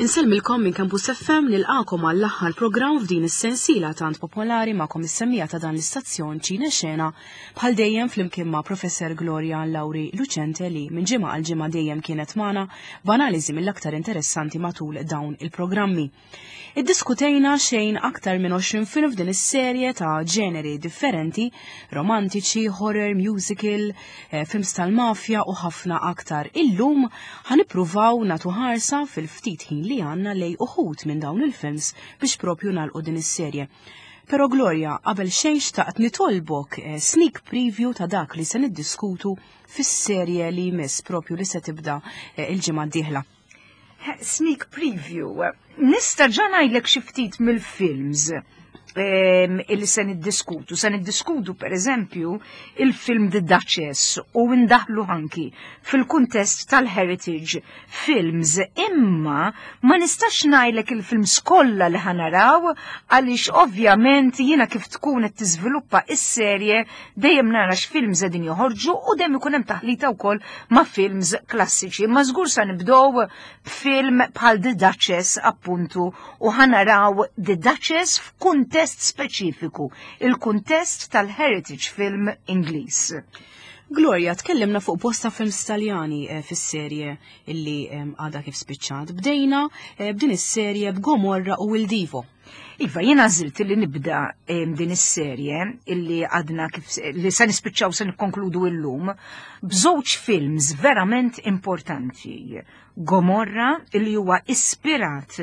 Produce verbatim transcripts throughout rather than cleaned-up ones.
Insellmilkom minn Campus F M, nilqakom għall-aħħar programm f'din is-sensiela tant popolari, magħkom is-semmiegħa ta' dan l-istazzjon Ċine Xena, bħal dejjem flimkien ma' Professor Gloria Lauri Lucente, li minn ġimgħa għal ġimgħa dejjem kienet magħna b'analiżi mill-aktar interessanti matul dawn il-programmi. Iddiskutejna xejn aktar minn għoxrin film f'din is-serje ta' ġeneri differenti, romantiċi, horror, musical, eh, films tal-mafja u ħafna aktar. Illum ħa nippruvaw nagħtu ħarsa fil-ftit ħin li għandna lejn uħud minn dawn il-films biex propju nagħlqu din is-serje. Pero Gloria, qabel xejn xtaqt nitolbok eh, sneak preview ta' dak li se niddiskutu fis-serje li jmiss, propju li se tibda eh, il-ġimgħa d-dieħla. Sneak preview. Nista' ġa ngħidlek xi ftit mill-films em, illi se niddiskutu. Se niddiskutu, per eżempju, il-film The Duchess u ndaħlu anki fil-kuntest tal-Heritage Films. Imma ma nistax ngħidlek il-films kollha li ħa naraw, għaliex ovvjament jiena kif tkun qed tiżviluppa is-serje dejjem nara x'films qegħdin joħorġu u dejjem ikun hemm taħlita wkoll ma' films klassiċi. Ma żgur sa nibdew b'film bħal The Duchess appuntu u ħa naraw The Duchess f'kuntest speċifiku, il-kuntest tal-Heritage Film Ingliż. Gloria, tkellimna fuq bosta films Taljani eh, fis-serje illi em, għadha kif spiċċat. Bdejna eh, b'din is-serje b'Gomorra u Il Divo. Iva, jiena għażilt li nibda em, din is-serje illi għadna kif li se nispiċċaw, se nikkonkludu illum, b'żewġ films verament importanti. Gomorra, illi huwa ispirat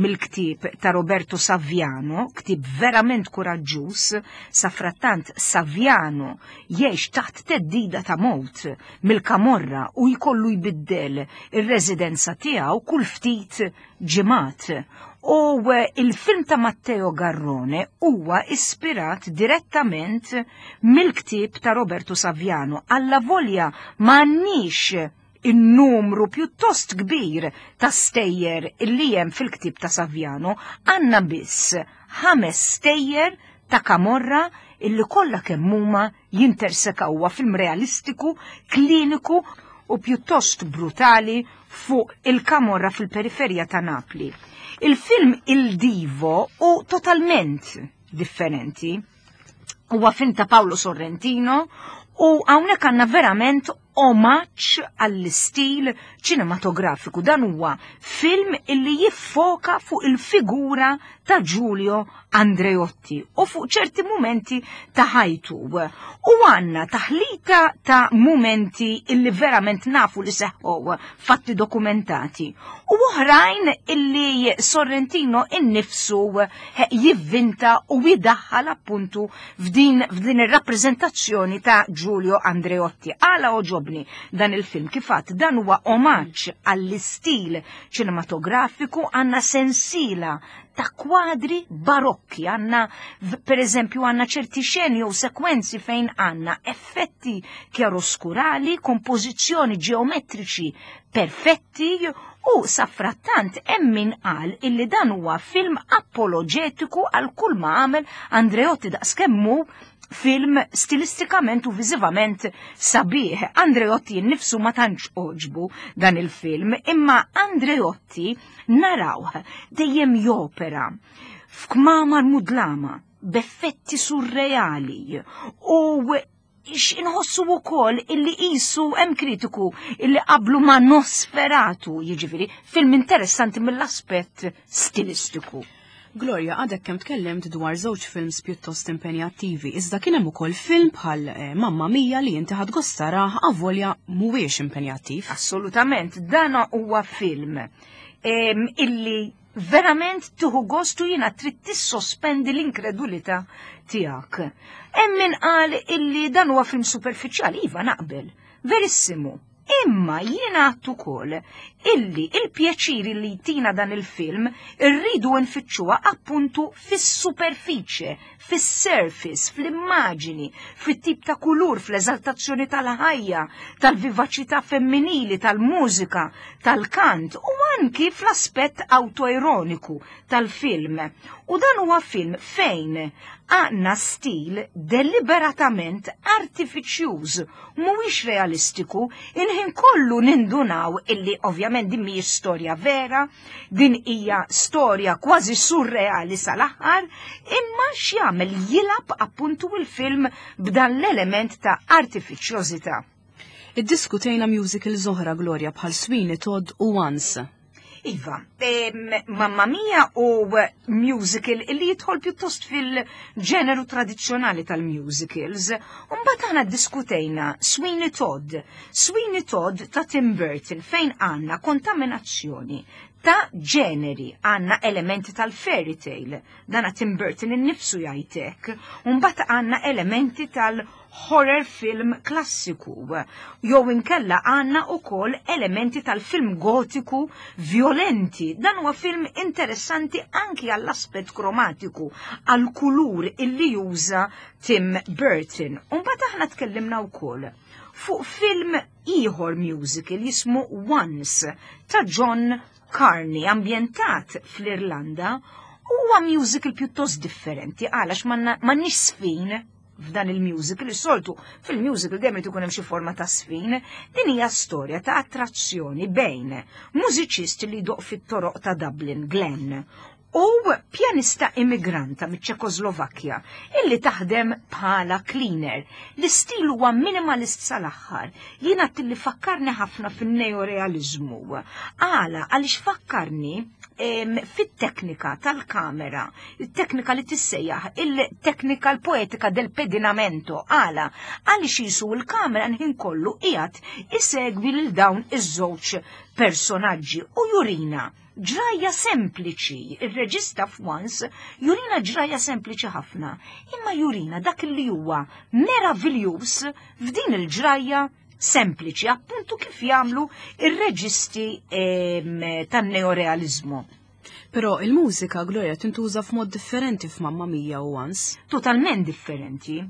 mill-ktieb ta' Roberto Saviano, ktieb verament kuraġġuż. Safrattant Saviano jgħix taħt theddida ta' mewt mill-Kamorra u jkollu jbiddel ir-residenza tiegħu kull ftit ġimgħat. U eh, il-film ta' Matteo Garrone huwa ispirat direttament mill-ktieb ta' Roberto Saviano. Alla volja m'għandniex in-numru pjuttost kbir ta' stejjer illi hemm fil-ktieb ta' Saviano, għandna biss ħames stejjer ta' Kamorra illi kollha kemm huma jintersekaw. Huwa film realistiku, kliniku u pjuttost brutali fuq il-Kamorra fil-periferija ta' Napli. Il-film Il Divo hu totalment differenti. Huwa film ta' Paolo Sorrentino u hawnhekk għandna verament omaġġ għall-istil ċinematografiku. Dan huwa film illi jiffoka fuq il-figura ta' Giulio Andreotti u fuq ċerti momenti ta' ħajtu. U għandna taħlita ta' momenti illi verament nafu li seħħu, fatti dokumentati. U oħrajn illi Sorrentino innifsu jivvinta u jidaħħal appuntu f'din, f'din ir-rappreżentazzjoni ta' Giulio Andreotti. Għala għoġobni dan il-film? Kif għedt, dan huwa omaġġ għall-istil ċinematografiku. Għandna sensiela ta' kwadri barokki, għandna per eżempju għandna ċerti xeni u sekwenzi fejn għandna effetti chiaroscurali, kompożizzjoni ġeometriċi perfetti, u safrattant hemm min qal illi dan huwa film apologetiku għal kull ma għamel Andreotti, daqskemm hu film stilistikament u viżivament sabiħ. Andreotti nnifsu ma tantx għoġbu dan il-film, imma Andreotti narawh dejjem jopera f'kmamar mudlama, b'effetti surreali u inħossu wkoll illi qisu hemm kritiku illi qablu ma' Nosferatu, jiġifieri film interessanti mill-aspett stilistiku. Gloria, għadek kemm tkellimt dwar żewġ films pjuttost impenjattivi, iżda kien hemm ukoll film bħal eh, Mamma Mia li inti ħadt gost tarah avolja mhuwiex impenjattiv. Assolutament, dan huwa film em, illi verament tieħu gostu, jiena trid tissospendi l-inkredulità tiegħek. Hemm min qal illi dan huwa film superfiċjali, iva, naqbel, verissimu. Imma jiena għedt ukoll illi il-pjaċiri li jtina dan il-film irridu nfittxuha appuntu fis-superfiċe, fis-surface, fl-immaġini, fit-tip ta' kulur, fl-eżaltazzjoni tal-ħajja, tal-vivaċità femminili, tal-mużika, tal-kant u anki fl-aspett autoironiku tal-film. U dan huwa film fejn Għandna stil deliberatament artifiċjuż, mhuwiex realistiku, il-ħin kollu nindunaw illi ovvjament din mhijiex storja vera, din hija storja kważi surreali sal-aħħar, imma x'jagħmel jilgħab appuntu il-film b'dan l-element ta' artifiċjożità. Iddiskutejna musicals oħra, Gloria, bħal Sweeney Todd u Once. Iva, Mamma Mia u musical illi jidħol pjuttost fil-ġeneru tradizzjonali tal-musicals. Mbagħad aħna diskutejna Sweeney Todd. Sweeney Todd ta' Tim Burton, fejn għandna kontaminazzjoni ta' ġeneri, għandna elementi tal-fairy tale, dana Tim Burton innifsu jgħidlek, mbagħad għandna elementi tal-horror film klassiku, jew inkella għandna ukoll elementi tal-film gotiku violenti. Dan huwa film interessanti anki għall-aspett kromatiku, għall-kulur illi juża Tim Burton. Mbagħad aħna tkellimna wkoll fuq film ieħor musical jismu Once ta' John Carney, ambjentat fl-Irlanda. Huwa musical pjuttost differenti għalax m'għandniex sfin f'dan il-musical. Is-soltu fil-musical dejjem irid ikun hemm xi forma ta' sfin. Din hija storja ta' attrazzjoni bejn mużiċist li jdoq fit-toroq ta' Dublin, Glenn, u pjanista immigranta miċ-Ċekoslovakkja illi taħdem bħala cleaner. L-istil huwa minimalist sal-aħħar. Jiena tilli fakkarni ħafna fin-neorealizmu. Għala, għaliex fakkarni fit-teknika tal-kamera, il-teknika li tissejjaħ il-teknika l-poetika del pedinamento. Għala, għaliex jisu l-kamera nħin kollu qiegħed isegwi lil dawn iż-żewġ personaġġi u jurina ġrajja sempliċi. Il-reġista f'Once jurina ġrajja sempliċi ħafna, imma jurina dak li huwa meraviljuż f'din il-ġrajja sempliċi, appuntu kif jagħmlu ir-reġisti tan-neorealizmu. Però il-mużika, Gloria, tintuża f'mod differenti f'Mamma Mia u Once. Totalment differenti.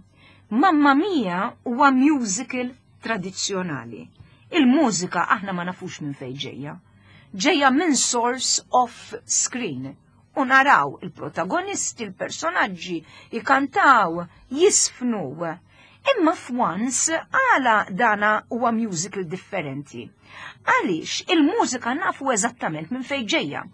Mamma Mia huwa musical tradizzjonali. Il-mużika aħna ma nafux minn fejn ġejja. Ġejja minn source off screen. U naraw il-protagonisti, il-personaġġi, jikantaw, jisfnu. Imma f'Once, għala dana huwa musical differenti? Għaliex il-mużika nafu eżattament minn fejn ġejja.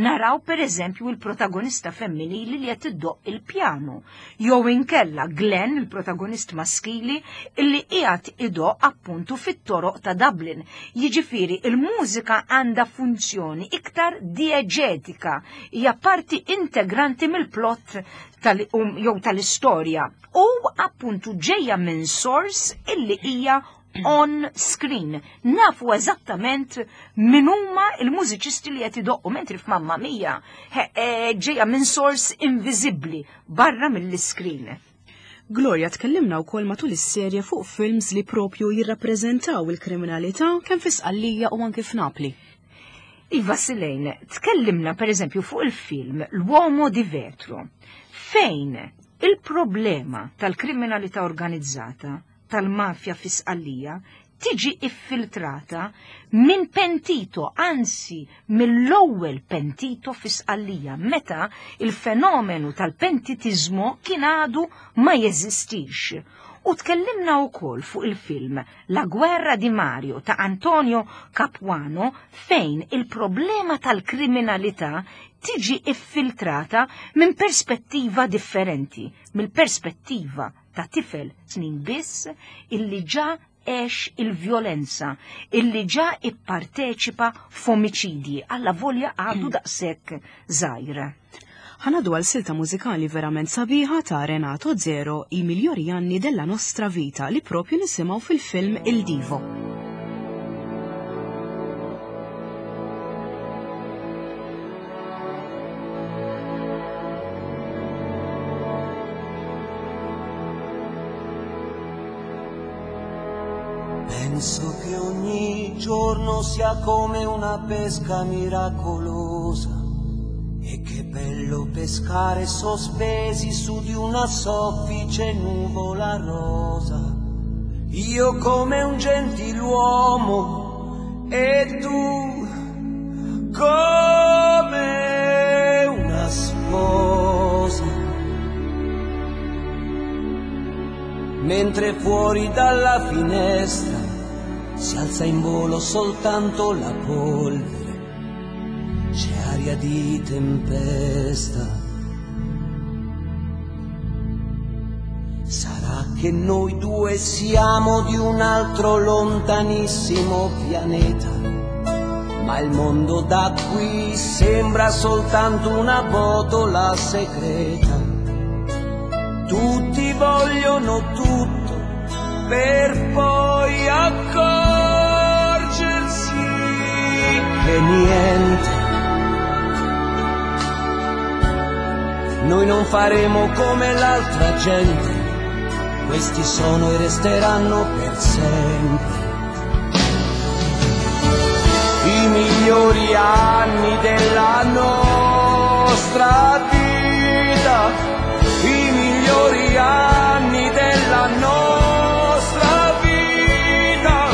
Naraw per eżempju il-protagonista femminili li qed iddoq il-pjanu, jew inkella Glenn, il-protagonist maskili, illi qiegħed idoq appuntu fit-toroq ta' Dublin. Jiġifieri il-mużika għandha funzjoni iktar dieġetika, hija parti integranti mill-plot tal um, jew tal-istorja u appuntu ġejja minn source illi hija on screen. Nafu eżattament min huma il-mużiċisti li qed idoqqu, mentri f'Mamma Mia e, ġejja minn source inviżibbli barra mill-screen. Gloria, tkellimna wkoll matul is-serje fuq films li propju jirrappreżentaw il-kriminalità kemm fi Sqallija u anke f'Napli. Iva Silejn, tkellimna per eżempju fuq il-film L'Uomo di Vetro, fejn il-problema tal-kriminalità organizzata tal-mafja fi Sqallija tiġi iffiltrata minn pentito, anzi mill-ewwel pentito fi Sqallija, meta il-fenomenu tal-pentitizmu kien għadu ma jeżistix. U tkellimna wkoll fuq il-film La Guerra di Mario ta' Antonio Capuano, fejn il-problema tal-kriminalità tiġi iffiltrata minn perspettiva differenti, mill-perspettiva ta' tifel snin biss illi ġa għex il-vjolenza, illi ġa ipparteċipa f'omiċidji, alla volja għadu daqshekk żgħir. Ħa ngħaddu għal silta mużikali verament sabiħa ta' Renato Zero, I migliori anni della nostra vita, li propju nisimgħu fil-film Il Divo. Penso che ogni giorno sia come una pesca miracolosa e che bello pescare sospesi su di una soffice nuvola rosa. Io come un gentiluomo e tu come una sposa. mentre fuori dalla finestra si alza in volo soltanto la polvere, c'è aria di tempesta. Sarà che noi due siamo di un altro lontanissimo pianeta, ma il mondo da qui sembra soltanto una botola segreta. Tutti vogliono tutto per poi accorgersi che niente. Noi non faremo come l'altra gente, questi sono e resteranno per sempre i migliori anni della nostra vita, i migliori anni della nostra vita.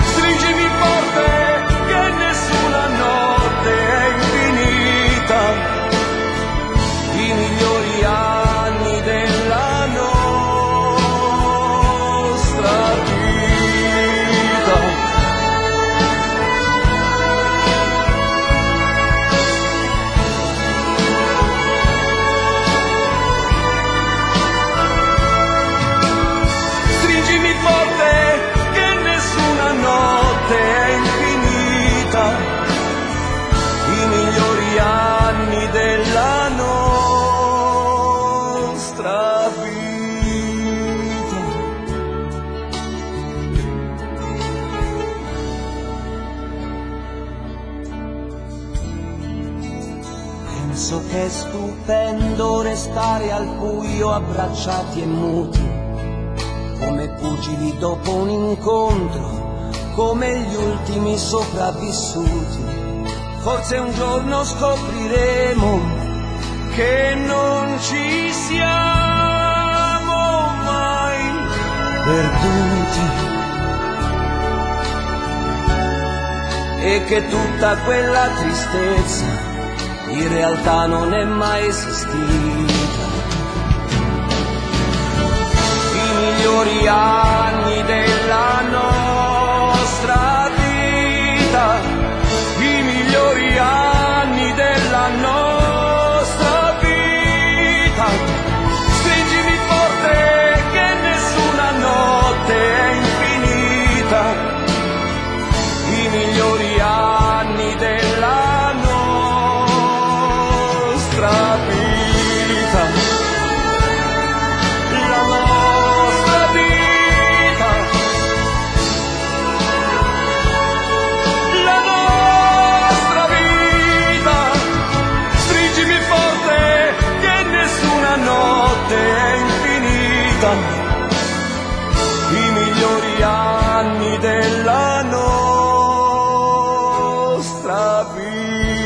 Stringimi forte che nessuna notte è infinita, i migliori anni della nostra vita. Stringimi forte che nessuna notte è infinita, i migliori anni della nostra vita. Penso che è stupendo restare al buio abbracciati e muti, come pugili dopo un incontro, come gli ultimi sopravvissuti. Forse un giorno scopriremo che non ci siamo mai perduti e che tutta quella tristezza in realtà non è mai esistita. I migliori anni della nostra vita, i migliori anni della nostra vita. Stringimi forte che nessuna notte è infinita, i migliori anni della nostra vita, la nostra vita, la nostra vita. Stringimi forte che nessuna notte è infinita, i migliori anni della nostra vita.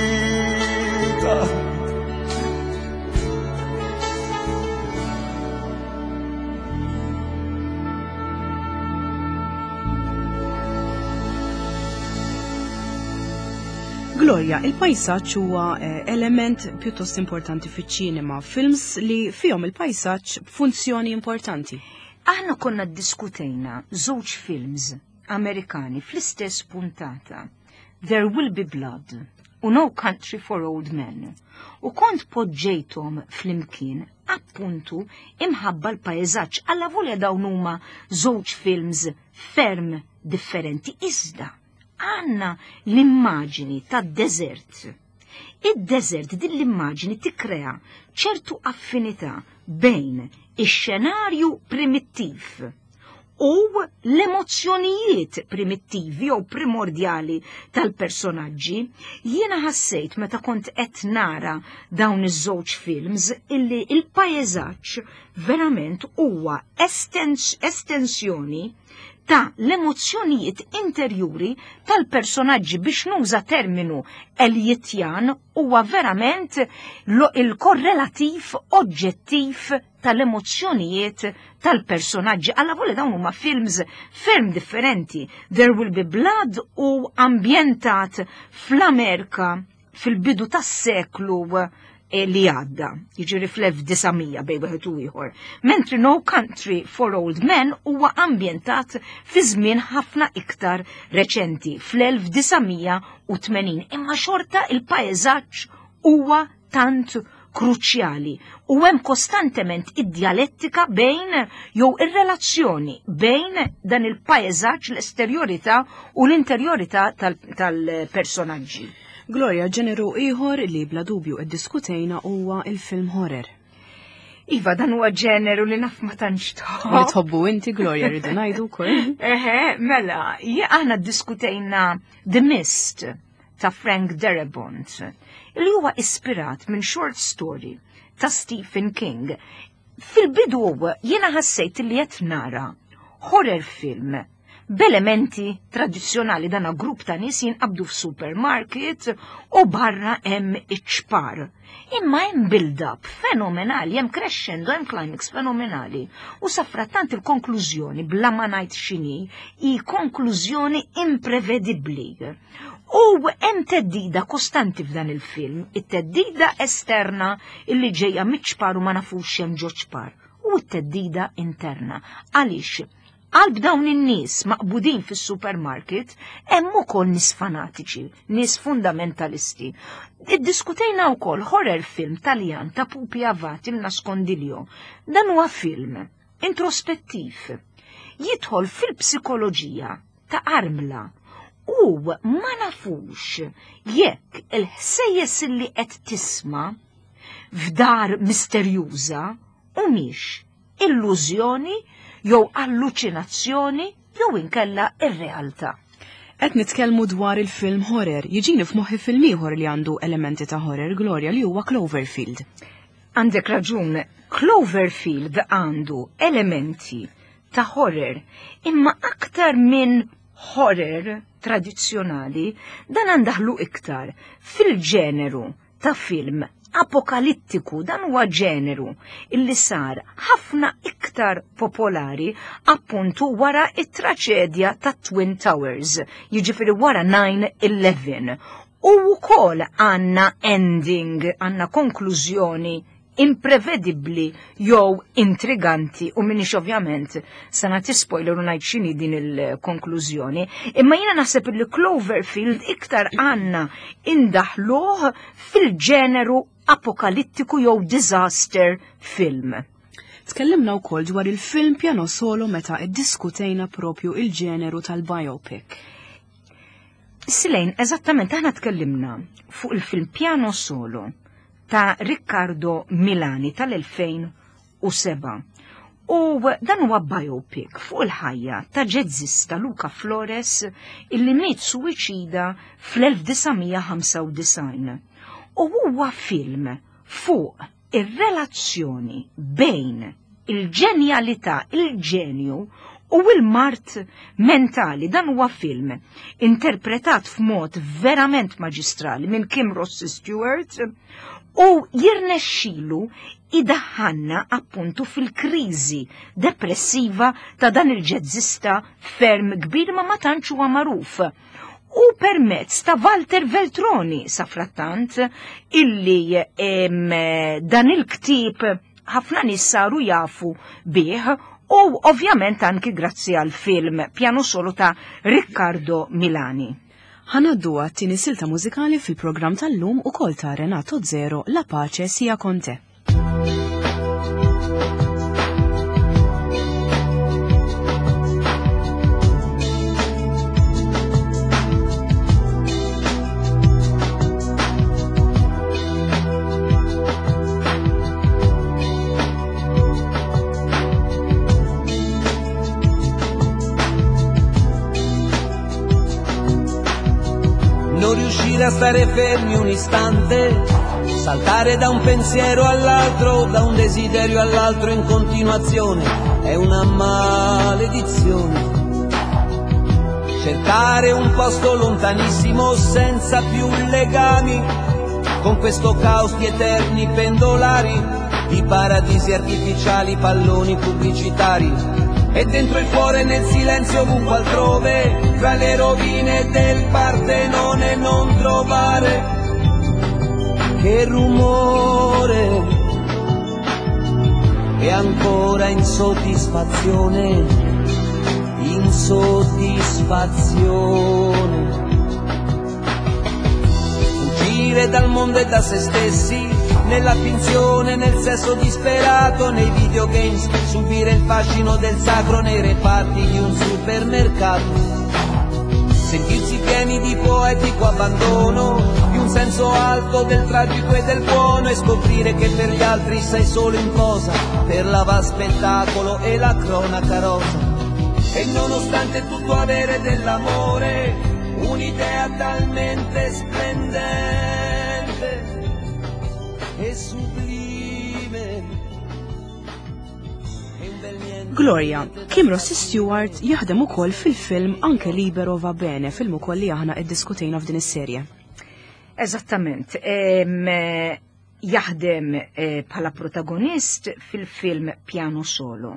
Gloria, il-pajsaġġ huwa eh, element pjuttost importanti fiċ-ċinema, films li fihom il-pajsaġġ b'funzjoni importanti. Aħna konna ddiskutejna żewġ films Amerikani fl-istess puntata, There Will Be Blood u No Country for Old Men, u kont poġġejthom flimkien appuntu imħabba l-pajzaġġ, alla volja dawn huma żewġ films ferm differenti, iżda għanna l-immaġini tad-deżert. Id-deżert, din l-immaġini tikkrea ċertu affinità bejn ix-xenarju primittiv u l-emozzjonijiet primittivi jew primordjali tal-personaġġi. Jiena ħassejt meta kont qed nara dawn iż-żewġ films illi il-pajjeżaġġ verament huwa estens estensjoni ta' l-emozzjonijiet interjuri tal-personaġġi, biex nuża terminu Eliotjan, huwa verament il-korrelativ oġġettiv tal-emozzjonijiet tal-personaġġi. Alla volja dawn huma films ferm differenti. There Will Be Blood u ambjentat fl-Amerika fil-bidu tas-seklu li għadda, jiġifieri fl-elf disa' mija bejn wieħed u ieħor. Mentri No Country for Old Men huwa ambjentat fi żmien ħafna iktar reċenti, fl-elf disa' mija u tmenin. Imma xorta il-pajjeżaġġ huwa tant kruċjali u hemm kostantement id-djalettika bejn jew ir-relazzjoni bejn dan il-pajjeżaġġ, l-esterjorità u l-interjorità tal-personaġġi. Gloria, ġeneru ieħor li bla dubju iddiskutejna huwa il-film horror. Iva, dan huwa ġeneru li naf ma tantx tħobb. Li tħobbu inti, Gloria, rridu ngħidu wkoll. Eħe, mela, aħna ddiskutejna The Mist ta' Frank Darabont, li huwa ispirat minn short story ta' Stephen King. Fil-bidu jiena ħassejt li qed nara horror film b'elementi tradizzjonali, dana grupp ta' nies jinqabdu f'supermarket u barra hemm iċ-ċpar. Imma hemm build-up fenomenali, hemm crescendo, hemm climax fenomenali. U safrattant il-konklużjoni, bla ma ngħid x'inhi, hi konklużjoni imprevedibbli. U hemm theddida kostanti f'dan il-film, it-theddida esterna illi ġejja miċ-ċpar u ma nafux hemm ġo ċpar, u t-theddida interna. Għaliex? Qalb dawn in-nies maqbudin fis-supermarket hemm ukoll nies fanatiċi, nies fundamentalisti. Iddiskutejna wkoll horror film Taljan ta' Pupi Avati, Il Nascondiglio. Dan huwa film introspettiv. Jidħol fil-psikoloġija ta' armla u ma nafux jekk il-ħsejjes li qed tisma' f'dar misterjuża humiex illużjoni jew alluċinazzjoni jew inkella ir-realtà. Qed nitkellmu dwar il-film horror, jiġini f'moħħi film ieħor li għandu elementi ta' horror, Gloria, li huwa Cloverfield. Għandek raġun, Cloverfield għandu elementi ta' horror, imma aktar minn horror tradizzjonali, dan għandaħlu iktar fil-ġeneru ta' film apokalittiku. Dan huwa ġeneru illi sar ħafna iktar popolari appuntu wara it-traċedja ta' Twin Towers, jiġifieri wara nine eleven. U wkoll għandna ending, għandna konklużjoni imprevedibbli jew intriganti u minix ovvjament se nagħti spoiler u ngħid x'inhi din il-konklużjoni, imma jiena naħseb li Cloverfield iktar għandna indaħluh fil-ġeneru apokalittiku jew disaster film. Tkellimna wkoll dwar il-film Piano Solo meta iddiskutejna propju il-ġeneru tal-biopic. Silejn, eżattament, aħna tkellimna fuq il-film Piano Solo ta' Riccardo Milani tal-elfejn u seba'. U dan huwa biopic fuq il-ħajja ta' ġezzista Luca Flores illi miet suwiċida fl-elf disa' mija ħamsa u disgħin. U huwa film fuq ir-relazzjoni bejn il-ġenjalità, il-ġenju u il-mard mentali. Dan huwa film interpretat f'mod verament maġistrali minn Kim Rossi Stewart u jirnexxilu idaħħanna appuntu fil-kriżi depressiva ta' dan il-ġezzista ferm kbir ma ma tantx huwa magħruf. U permezz ta' Walter Veltroni safrattant illi em, dan il-ktib ħafna nies saru jafu bih u ovvjament anki grazzi għal film Piano Solo ta' Riccardo Milani. Ħa ngħaddu għat-tieni silta mużikali fil-programm tal-lum, ukoll ta' Renato Zero, La Pace sia con te. Non riuscire a stare fermi un istante, saltare da un pensiero all'altro, da un desiderio all'altro in continuazione, è una maledizione. Cercare un posto lontanissimo senza più legami, con questo caos di eterni pendolari, di paradisi artificiali, palloni pubblicitari. E dentro il cuore nel silenzio ovunque altrove, fra le rovine del Partenone non trovare che rumore. Insoddisfazione, insoddisfazione. Fuggire dal mondo e da se stessi, nella finzione, nel sesso disperato, nei videogames, subire il fascino del sacro nei reparti di un supermercato. Sentirsi pieni di poetico abbandono, di un senso alto del tragico e del buono, e scoprire che per gli altri sei solo in posa, per l'avaspettacolo e la cronaca rosa. E nonostante tutto avere dell'amore, un'idea talmente splendente e sublime. E un bel niente. Gloria, Kim Rossi Stewart jaħdem ukoll fil-film Anche Libero va bene, film ukoll li aħna iddiskutejna f'din is-serje. Eżattament. Em, eh, jaħdem eh, bħala protagonist fil-film Piano Solo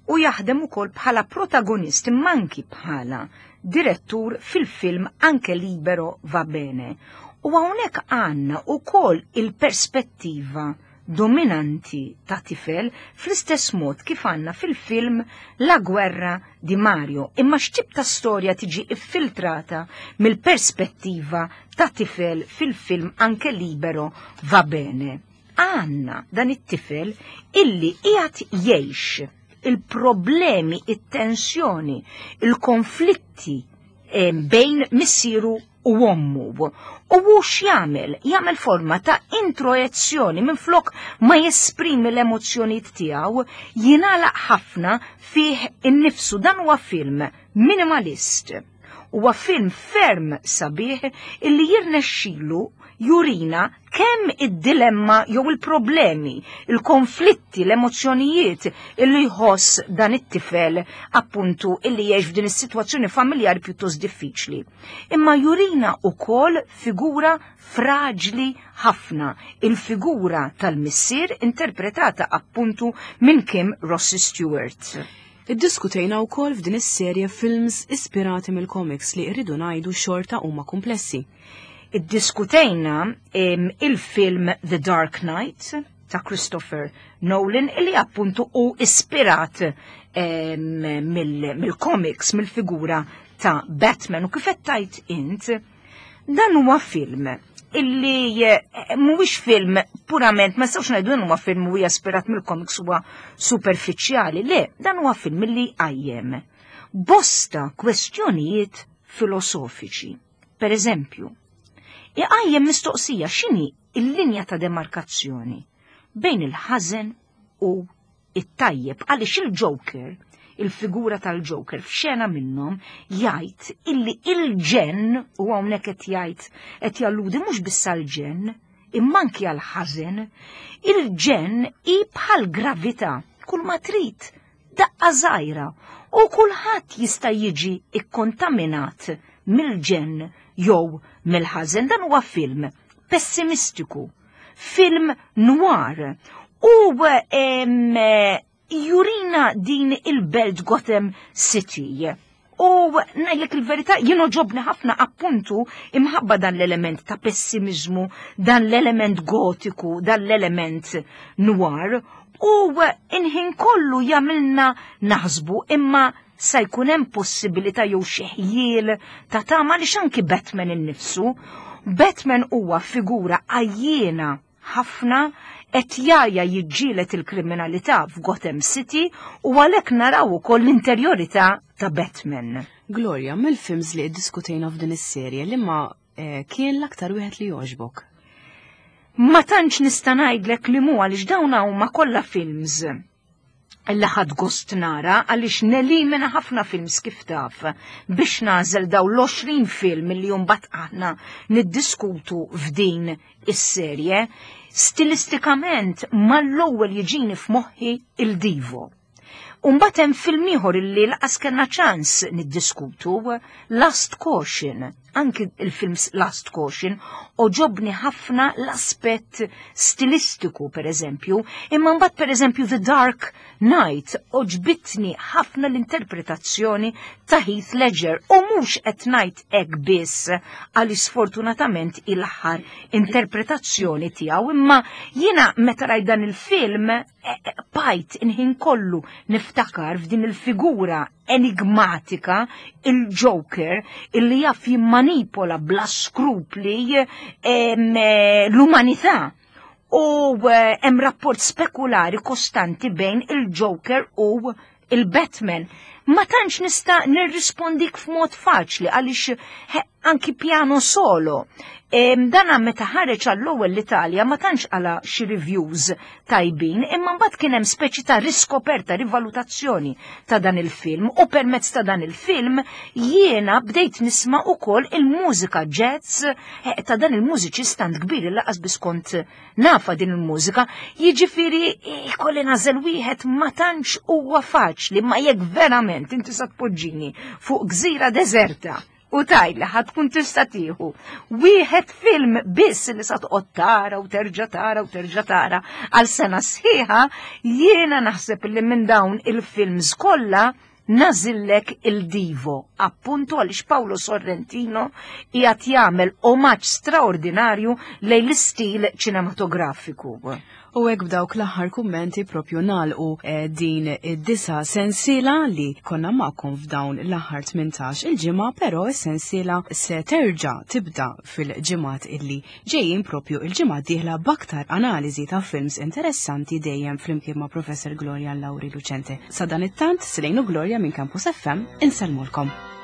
u jaħdem ukoll bħala protagonist imma anki bħala direttur fil-film Anche Libero va bene. U hawnhekk għandna ukoll il-perspettiva dominanti ta' tifel fl-istess mod kif għandna fil-film La guerra di Mario. Imma x'tip ta' storja tiġi iffiltrata mill-perspettiva ta' tifel fil-film Anche Libero va bene. Għandna dan it-tifel illi qiegħed jgħix il-problemi, it-tensjoni, il-konflitti eh, bejn missieru u ommu. U hu x'jagħmel? Jagħmel forma ta' introjezzjoni minn flok ma jesprimi l-emozzjonijiet tiegħu, jingħalaq ħafna fih innifsu. Dan huwa film minimalist. Huwa film ferm sabiħ illi jirnexxilu jurina kemm id-dilemma jew il-problemi, il-konflitti, l-emozzjonijiet illi jħoss dan it-tifel appuntu illi jgħix f'din is-sitwazzjoni familjari pjuttost diffiċli. Imma jurina ukoll figura fraġli ħafna, il-figura tal-missier interpretata appuntu minn Kim Rossi Stewart. Iddiskutejna wkoll f'din is-serje films ispirati mill-comics li rridu ngħidu xorta huma komplessi. Iddiskutejna em, il-film The Dark Knight ta' Christopher Nolan illi appuntu hu ispirat em, mill- mill-comics, mill-figura ta' Batman u kif qed tajt int, dan huwa film illi eh, mhuwiex film purament, ma nistgħux ngħidu dan huwa film huwa ispirat mill-comics huwa superfiċjali, le, dan huwa film illi qajjem bosta kwestjonijiet filosofiċi. Per eżempju, iqajjem mistoqsija x'inhi il-linja ta' demarkazzjoni bejn il-ħażen u it-tajjeb għaliex il-Joker, il-figura tal-Joker f'xena minnhom jgħid illi il-ġenn u hawnhekk qed jgħid qed jalludi mhux biss għall-ġenn imma anki għall-ħażen, il-ġenn hi bħal gravità kull ma trid daqqa żgħira u kulħadd jista' jiġi ikkontaminat mill-ġenn jew mill-ħażen. Dan huwa film pessimistiku, film noir u em, jurina din il-belt Gotham City. U ngħidlek il-verità, jien għoġobni ħafna appuntu imħabba dan l-element ta' pessimizmu, dan l-element gotiku, dan l-element noir, u inħin kollu jagħmilna naħsbu imma sa jkun hemm possibilità jew xi ħjiel ta' tama li anki Batman innifsu. Batman huwa figura għajjiena ħafna qed jgħajja jiġġieled il-kriminalità f'Gotham City u għalhekk naraw ukoll l-interjorità ta' Batman. Gloria, mill-films li iddiskutejna f'din is-serje li ma eh, kien l-aktar wieħed li jogħġbok? Ma tantx nista' ngħidlek li mu għaliex dawn huma kollha films li ħadt gost nara għaliex nelimina ħafna films kif taf biex nagħżel daw l-għoxrin film li mbagħad aħna niddiskutu f'din is-serje. Stilistikament mal-ewwel jiġini f'moħħi il Divo. Umbagħad hemm film ieħor illi lanqas kellna ċans niddiskutu, Last Caution. Anki il-films Last Caution għoġobni ħafna l-aspett stilistiku, per eżempju, imma mbagħad, per eżempju, The Dark Knight għoġbitni ħafna l-interpretazzjoni ta' Heath Ledger, u mhux qed ngħid hekk biss għaliex sfortunatament il-aħħar interpretazzjoni tiegħu, imma jiena meta rajt dan il-film eh, eh, bqajt il-ħin kollu niftakar f'din il-figura enigmatika, il-Joker, illi jaf jimmanipola bla skrupli eh, l-umanità. U eh, hemm rapport spekulari kostanti bejn il-Joker u il-Batman. Ma tantx nista' nirrispondik f'mod faċli għaliex anki Piano Solo. Dana meta ħareġ għall-ewwel l-Italja ma tantx għala xi reviews tajbin, imma mbagħad kien hemm speċi ta' riskoperta, rivalutazzjoni ta' dan il-film, u permezz ta' dan il-film jiena bdejt nisma' ukoll il-mużika jazz eh, ta' dan il-mużiċist tant kbir li lanqas biss kont nafa din il-mużika. Jiġifieri ikolli nagħżel wieħed ma tantx huwa faċli, ma jekk verament inti sa tpoġġini fuq gżira deżerta u tgħidli ħa tkun tista' tieħu wieħed film biss li sa toqgħod tara u terġa' tara u terġa' tara għal sena sħiħa, jiena naħseb li minn dawn il-films kollha nagħżillek il-Divo, appuntu għaliex Paolo Sorrentino qiegħed jagħmel omaġġ straordinarju lejn l-istil ċinematografiku. U hekk b'dawk l-aħħar kummenti propju nagħlqu eh, din id-disa sensiela li konna magħkom f'dawn l-aħħar tmintax il-ġimgħa, però s-sensiela se terġa' tibda fil-ġimgħat illi ġejjin, propju il-ġimgħa dieħla, b'aktar analiżi ta' films interessanti, dejjem flimkien ma' Professor Gloria Lauri Lucente. Sa dan it-tant, Silejnu Gloria minn Campus F M insellmulkom.